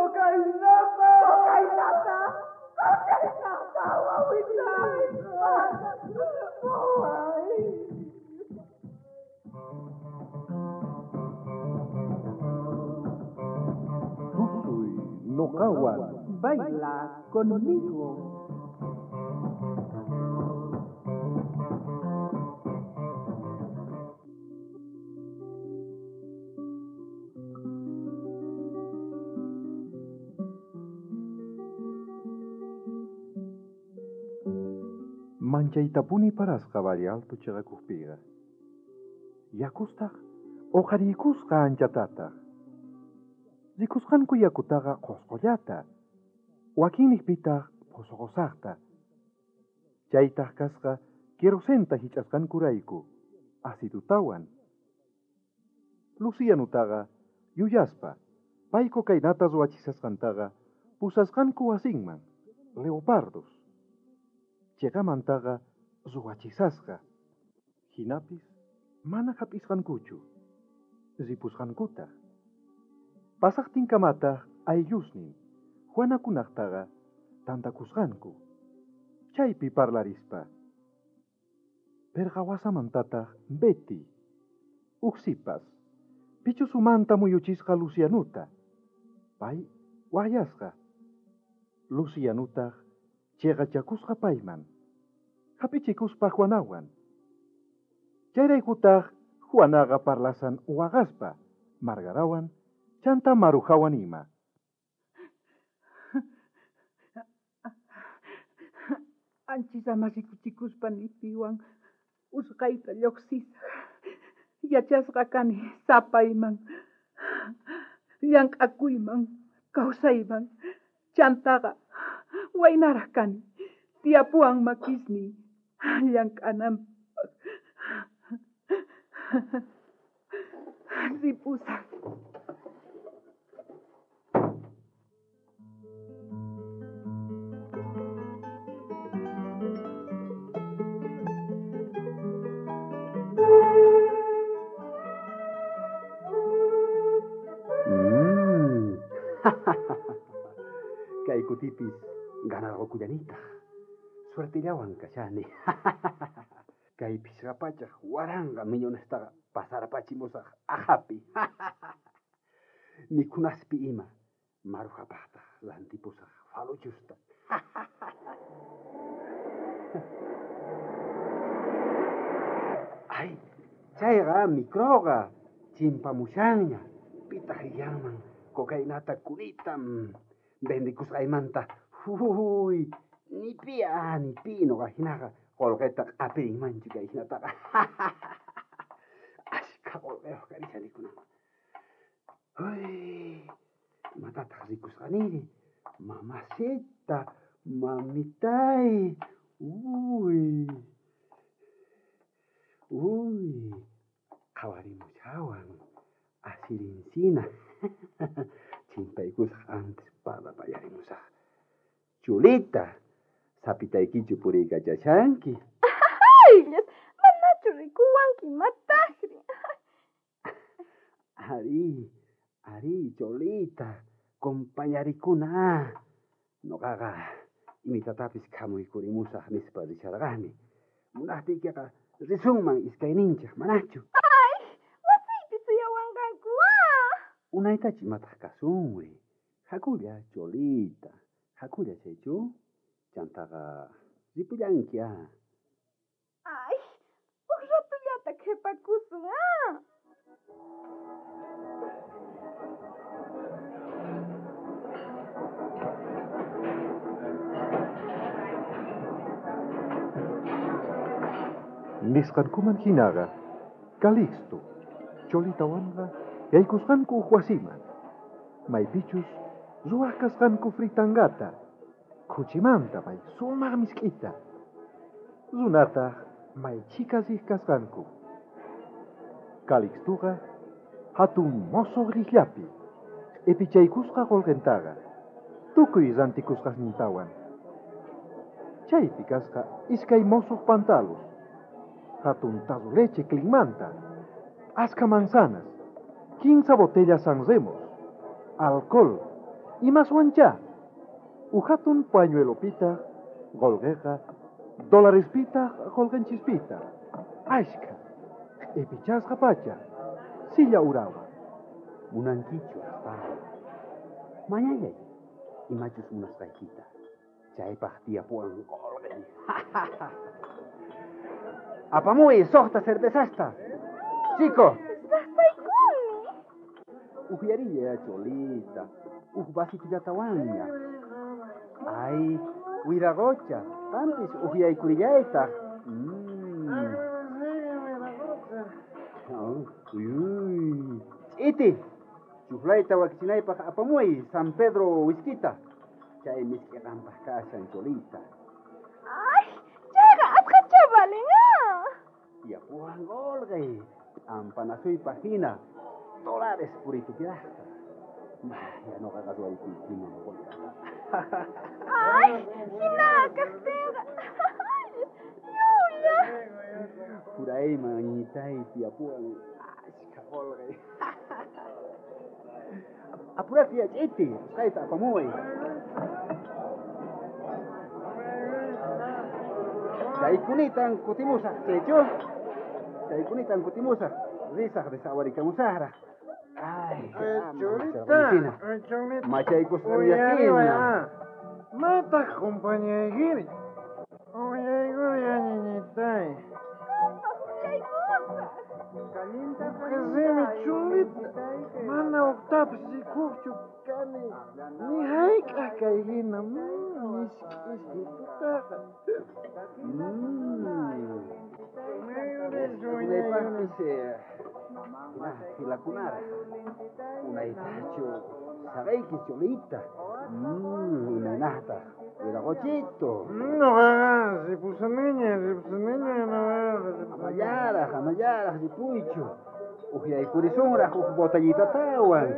Cocainata! Cocainata! Cocainata, wawitay! Ay. Tusuy noqawan. Baila conmigo. Manchaytapuni parasqa Valle Alto chaqakuqpiqa. Yakustaq uqhariykusqa anchatataq. Rikusqanku yakutaqa qusqullata, wakinniqpitaq phusuqusaqta. Chaytaq kasqa querosenta hich'asqankurayku, acidutawan. Lucianutaqa yuyaspa, pay cocainata ruwachisqantaqa pusasqanku wasinman, leopardos. Chiqamantaqa ruwachisasqa. Hinapis mana hap'isqankuchu, ripusqankutaq. Pasaqtinkamataq ayllusnin Juanakunaqtaqa tantakusqanku. Chaypi parlarispa. Perqawasamantataq Betty, uj sipas, pichus umanta muyuchisqa Lucianuta. Pay waqyasqa. Lucianutaq chiqachakusqa payman. Hap'ichikuspa Juanawan. Chayraykutaq Juanaqa parlasan waqaspa, Margarawan, chanta Marujawan ima. Anchisama rikuchikuspa nipiwan usqayta lluqsisaq. Yachasqa kani sapayman, llank'akuyman, kawsayman. Chantaqa waynaraq kani, tiyapuwan makisniy llank'ananpaq. Ripusaq. Kay kutipis ganarqukullanitaq. Suertillawan kashani. Kay phishqa pachaq waranqa millonestaqa pasarpachimusaq aqhapi. Mikhunaspi ima marujapaqtaq rantipusaq faluchusta. Ay, chayqa microqa chimpamushanña. Pitaq riyanman cocainata kunitam vendikusqaymanta. Uy, ni pi ni pi noqa hinaqa qolqeta q'apirinmanchu kay hinataqa. Ashka qolqeyuq karishani. Uy, imatataq rikusqaniri? Mamacita, mamitay. Uy. Uy, qhawarimushawan asirinsina. Chimpaykusaq antes parlapayarimusaq. Chulita, sapitaykichu puriykachashanki. Ayllas, manachu rikuwanki mataqri. Ari, ari, Cholita, compañarikuna. Noqaqa imitatapis khamuykurimusaq nispa risharqani. Munaqtiykiqa risunman iskayninchik, manachu? Ay, wasiypi suyawanqanku. Unaytachu imataq kasunri. Hakulla, Cholita, hakulla chaychu. Chantaqa ripullanki ah. Ay, uj ratullata qhipakusun ah. Nisqankuman hinaqa, Calixto, Cholitawanqa yaykusqanku uj wasiman. Maypichus ruwaq kasqanku fritangata, khuchimanta may sumaq misk'ita. Runataq may chhika riq kasqanku. Calixtoqa hatun mosoq riqllapi q'ipichaykusqa qolqentaqa, tukuy rantikusqasnintawan. Chaypi kasqa iskay mosoq pantalos, hatun tazo leche clinmanta, aska manzanas, 15 botellas San Remos, alcohol, Imaswanchá. Uj hatun pañuelopitaq qolqeqa dólarespitaq qolqenchispitaq. Ashkha. Q'ipichasqa pacha. Silla urawan. Munankichu astawan. Mañallay, imachus munasqaykita. Chaypaq tiyapuwan qolqe. Apamuy suqta cervezasta. Chico. Sasaykuni. Uhyarilla, cholita. Uj vasitullatawanña. Ay, wiraqocha, qampis uhyaykurillaytaq. Uy, Ch'iti, chuflayta wakichinaypaq apamuy San Pedro whiskita. Chay misk'i qampaq kashan, cholita. Ay, chayqa asqacha valen, ah. Tiyapuwan qolqe, p'ampanasuypaq hina, dólares puritupiraqta. Ya noqaqa ruwaykuykiman qolqeta. Ay, hina kaqtinqa. Yuya. Jurayman ñitay tiyapuwan ashkha qolqe. Apurati ya, ch'iti, usqhayta apamuway. Chaykunitan kutimusaq, chaychu? Chaykunitan kutimusaq, risaq desawarikamusaqraq. Ay, Cholita, cholita. Machaykusqan ah. Maytaq compañaykiri. Uyaykuri ñañiñitay. Qasimi cholita. Mana uqtapis rikuqchu kani. Ni hayk'aq kay hina misk'isitutaqa. Unaypaqpis hina filakunaraq. Unaytachu saqayki cholita. Imaynataq wiraqochito. Noqaqa ripusaniña, ripusaniña, noqaqa. Amallaraq, amallaraq ripuychu. Uhyaykurisunraq uj botellitatawan.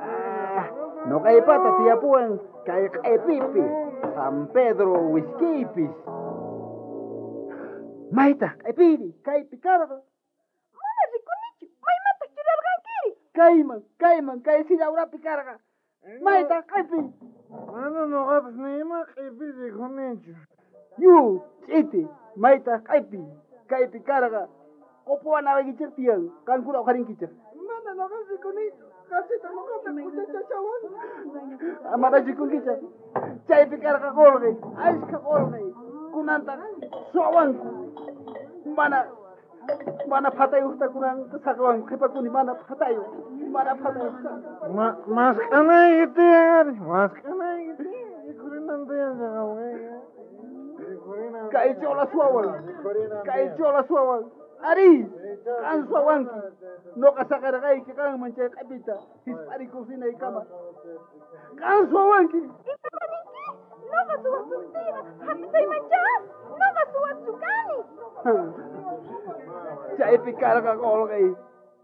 Ah, noqaypata tiyapuwan kay q'epipi San Pedro whiskiypis. Maytaq q'epiri kaypi karqa. Mana rikunichu, maymataq churarqankiri? Kayman, kayman, kay silla urapi karqa. Maytaq q'epi. Mana noqapis ni ima q'epi rikunichu. Yu, ch'iti, maytaq q'epi kaypi karqa. Qopuwanawaykichej tiyan, qankuna uqharinkichej. Mana noqapis rikunichu, qasita noqata kuchachashawan. Amara rikunkichej. Chaypi karqa qolqe, ashkha qolqe. Kunantaq suwawanku. Mana, mana phatayuqta kunan saqawanku, qhipakuni mana phatayuq, mana phatayuq. Mask'anayki tiyan ari, mask'anayki tiyan. Rikhurinan tiyan chaqawayqa. Kay chola suwawan, kay chola suwawan. Ari, qan suwawanki. Noqa saqarqayki qanman chay q'epita, hisp'arikuq rinaykama. Qan suwawanki. Ima ninki? Noqa suwasuqtiyqa hap'isaymanchá. Noqa suwachu kani. Chaypi karqa qolqey,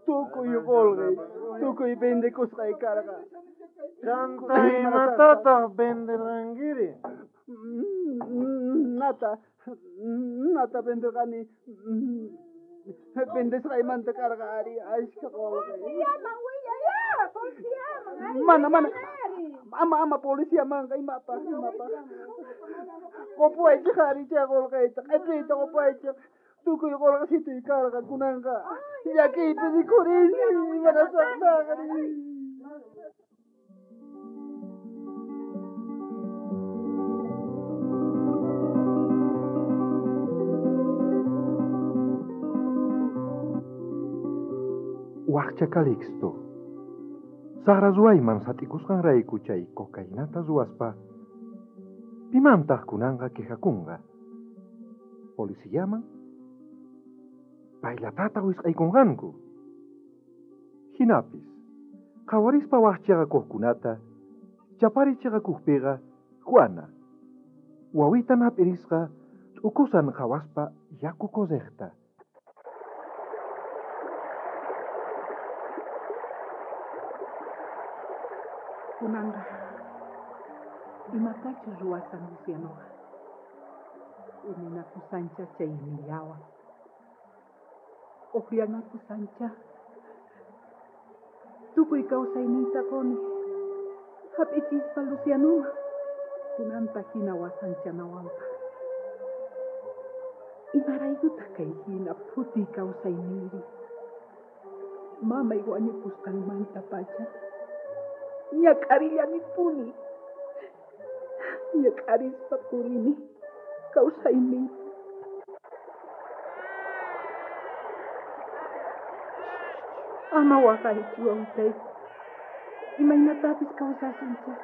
tukuy qolqey, tukuy vendekusqay karqa. Chanta imatataq venderqankiri? Nata, nata venderqani. Vendesqaymanta karqa ari ashkha qolqey. Policiaman willaya, policiaman. Ari, Mana, mana. ari. Ama, ama policiamanqa imapaq, imapaq. Qopuwaychej ari chay qolqeyta, q'epiyta qopuwaychej. Tukuy qolqesituy karqa kunanqa. Llakiypi rikhurini, imanasaqtaqri. Waqcha Calixto. Saqra ruwayman sat'ikusqanrayku chay cocainata ruwaspa, pimantaq kunanqa quejakunqa? Policiaman? Paylatata wisq'aykunqanku. Hinapis, qhawarispa waqchaqakuqkunata, chapari chiqakuqpiqa Juana, wawitan hap'irisqa t'ukusan qhawaspa yaku correqta. Kunanqa imatachus ruwasan Lucianoqa. Uninakusancha chay millawan. Uqllanakusancha. Tukuy kawsayniyta quni. Hap'ichispa Lucianuman. Kunanta hina wasanchanawanpaq. Imaraykutaq kay hina phuti kawsayniyri? Mamay wañupusqanmantapacha ñak'arillanipuni. Ñak'arispa purini kawsayniypi. Ama waqaychu wawitay. Imaynatapis kawsasunchik.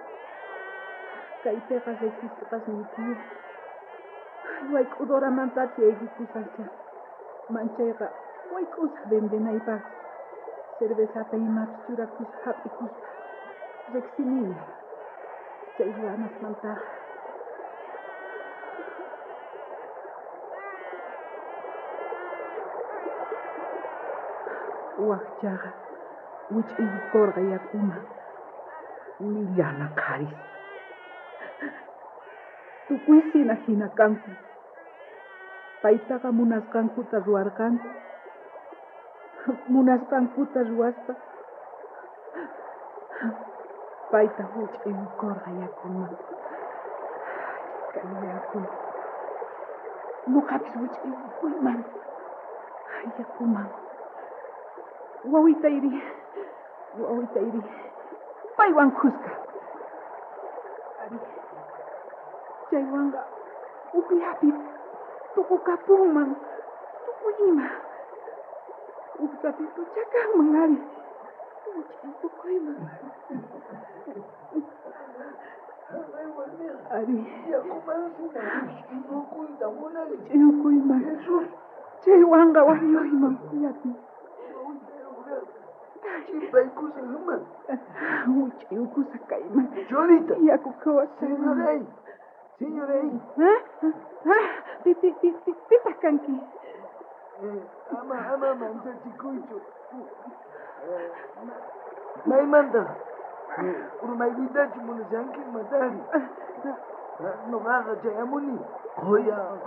Kaypiqa riqsisqasmi tiyan. Wayk'udoramantachu ayllupusaqcha. Manchayqa wayk'usaq vendenaypaq. Cervezata imapis churakusaq hap'ikuspa. Riqsiniña. Chay ruwanasmantaqa. Wajchaqa wich'iykorqa yakuman. Millana qharis. Tukuysina hina kanku. Paytaqa munasqankuta ruwarqanku. Munasqankuta ruwaspa payta wich'iykorqa yakuman. Kay yaku. Noqapis wich'iykuyman. Yakuman. Wawitayri. Wawitayri. Paywan khuska. Ari. Chaywanqa ujllapi tukukapunman. Tukuy ima. Uj ratitucha kanman ari. Wich'iykuyman. Ari. Yakuman munani. Wich'iykuyman. Jesús. Chaywanqa wañuyman ujllapi. Chimpaykusaqman. Wich'iykusaq kayman. Cholita. Yaku qhawasayman. Señoray. Señoray. Ah? Pitaq kanki? Ama manchachikuychu. Maymantaq urmaykuytachu munashanki matari. Noqaqa chayamuni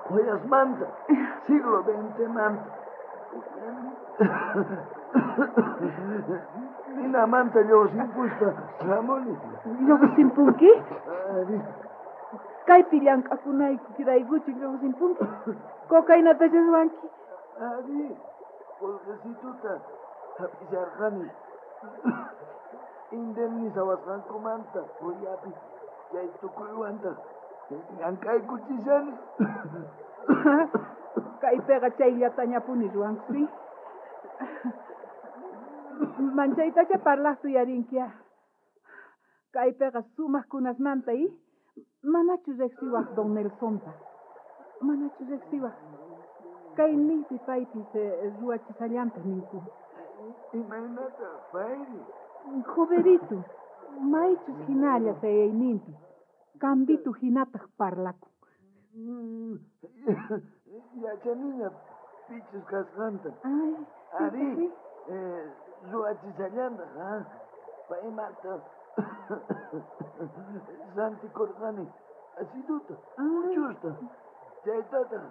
qhoyasmanta, siglo XX-manta. Minamanta lluqsimpuspa hamuni. Lluqsimpunki? Ari. Kaypi llank'akunaykiraykuchu lluqsimpunki? Cocainatachu ruwanki? Ari, qolqesituta hap'isharqani. Indemnizawasqankumanta qoyapi chay tukuywantaq llank'aykuchishani. Kaypiqa chayllatañapuni ruwanku, sí? Manchaytacha parlaqta uyarinki. Kaypiqa sumaq kunasmanta, i? Manachu riqsiwaq don Nelsonta? Manachu riqsiwaq? Kay niypi paypis ruwachisallanta ninku. Imaynata payri? Joverito, maychus hinalla sayayninpi. Cambitu hinataq parlakun. Yachaniña pichus kasqanta. Ay, Ari, ruwachisallantaq, ha? Paymanta rantikurqani asiduta, uchusta, chaytataq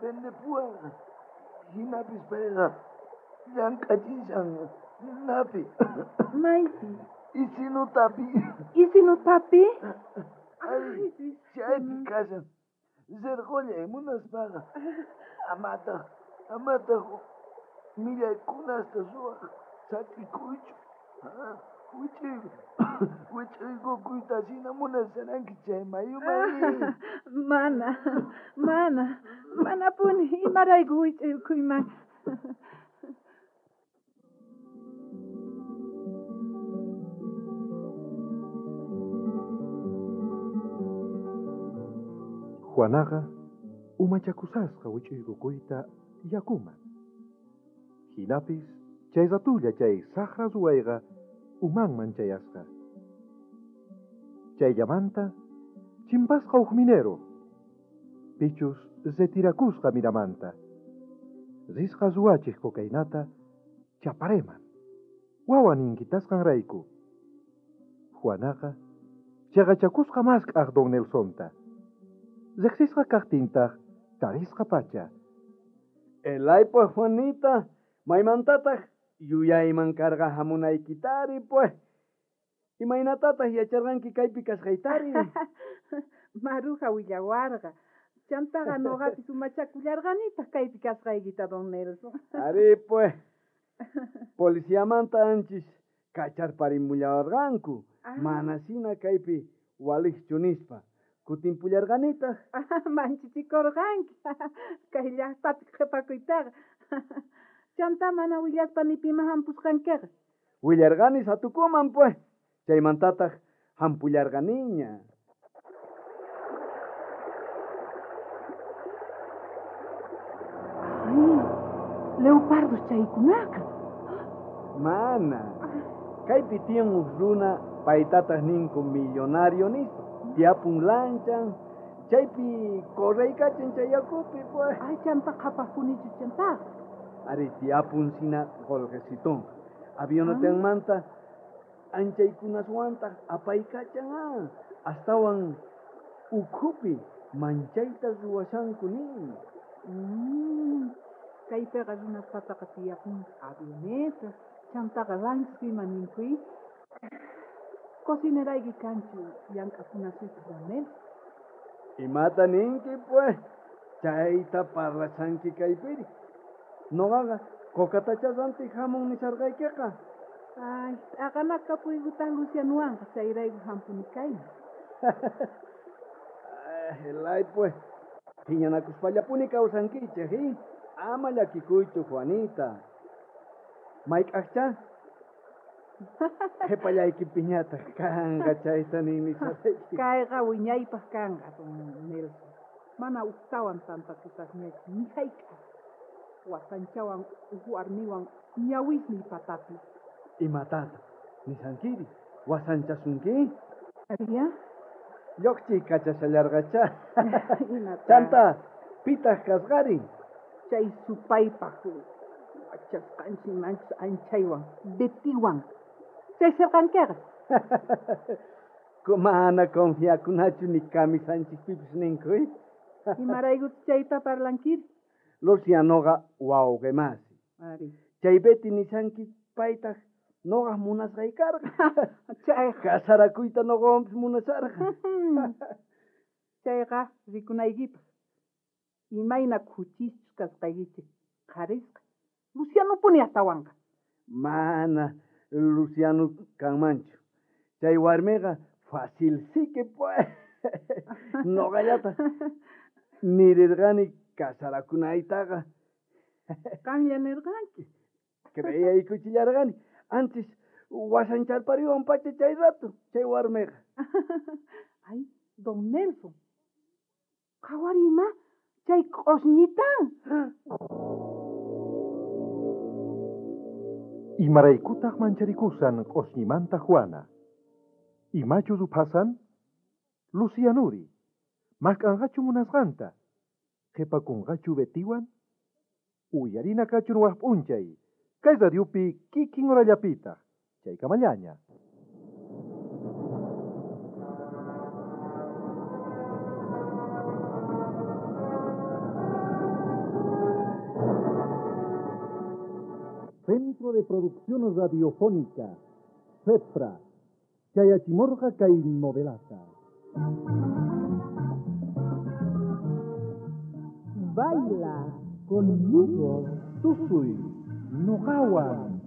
vendepuwarqa. Hinapis payqa llank'achishan napi. Maypi? Isinutapi. Isinutapi? Ay, chaypi kashan. Rirqullay munaspaqa. Amataq millaykunasta ruwaq saqikuychu. Wich'iykukuyta hina munasharanki chay mayuman. Mana, manapuni imarayku wich'iykuyman. Juanaqa umachakusasqa wich'iykukuyta yakuman. Hinapis chay ratulla chay saqra ruwayqa umanman chayasqa. Chayllamanta chimpasqa uj minero. Pichus retirakusqa miramanta. Risqa ruwachej cocainata chapareman. Wawan inkitasqanrayku. Juanaqa chaqachakusqa mask'aq don Nelsonta. Riqsisqa kaqtintaq tarisqa pacha. Elay pues Juanita, maymantataq yuyayman karqa hamunaykitari pues. Imaynatataq yacharqanki kaypi kasqaytari? Maruja willawarqa. Chantaqa noqapis umachakullarqanitaq kaypi kasqaykita, don Nelson. Ari, pues. Policiamanta anchis kacharparimullawarqanku. Manasina kaypi walijchu nispa. Kutinpullarqanitaq. Manchichikurqanki. Kay llaqtapi qhipakuytaqa. Chanta mana willaspa ni pima hampusqankiqa. Willarqani satukuman, pues. Chaymantataq hampullarqaniña. Ay, leopardos chaykunaqa. Mana. Kaypi tiyan uj runa paytataq ninku millonario nispa. Tiyapun lanchan, chaypi correykachan chay yakupi, pues. Ay, chanta qhapaqpunichu chantaqa. Ari, tiyapun sina qolqesitonqa. Avionetanmanta anchaykunaswantaq apaykachan, ah. Astawan ukhupi manchayta ruwashanku nin. Kaypiqa runaspataqa tiyapun avionetas, chantaqa lanchas ima ninkuy. Cocinerayki kanchu llank'apunasuypaq, don Nelson? Imata ninki, pues? Chayta parlashanki kaypiri. Noqaqa kokatacha rantiq hamun nisharqaykiqa. Ay, t'aqanakapuykutaq Lucianowanqa, chayrayku hampuni kayman. Ay, lay, pues. Phiñanakuspallapuni kawsankichej, ¿eh? Ama llakikuychu, Juanita. Mayk'aqcha? Qhipallaykipiñataq kanqa chayta nin nisharqayki. Kayqa wiñaypaq kanqa, don Nelson. Mana ujtawan tantakusaqñachu, ni hayk'aq. Wasanchawan uj warmiwan ñawisniy patapi. Imatata nishankiri? Wasanchasunki? Aria? Lluqchiy kachashallarqacha. Imata? Chanta, pitaq kasqari? Chay supaypaq wachasqanchik manchus anchaywan, Betiwan. Chay sirqankiqa. Mana confiakunachu ni kamisanchikpipis ninku, ¿eh? Imaraykuta chayta parlankiri? Lucianoqa wawqimasi. Ari. Chay Betty nishanki paytaq noqaq munasqay karqa. Chayqa. Casarakuyta noqawanpis munasharqa. Chayqa rikunaykipaq. Imayna khuchischus kasqaykichik qharisqa. Lucianopuni astawanqa. Mana Luciano kanmanchu. Chay warmiqa fácil sique, pues. Noqallata nirirqani casarakunaytaqa. Qanlla nirqanki. Creeyaykuchillarqani. Antes wasancharpariwan pacha chay rato, chay warmiqa. Ay, don Nelson. Qhawarima, chay q'osñitan. Imaraykutaq mancharikusan q'osñimanta Juana. Imachu ruphasan? Lucianuri, mask'anqachu munasqanta? Qhipakunqachu Betiwan? Uyarina kachun waj p'unchay. Kay radiopi kikin horallapitaq. Chaykamallaña. Centro de Producción Radiofónica, CEPRA, Chayachimorja kay novelata. Baila conmigo, tusuy, noqawan.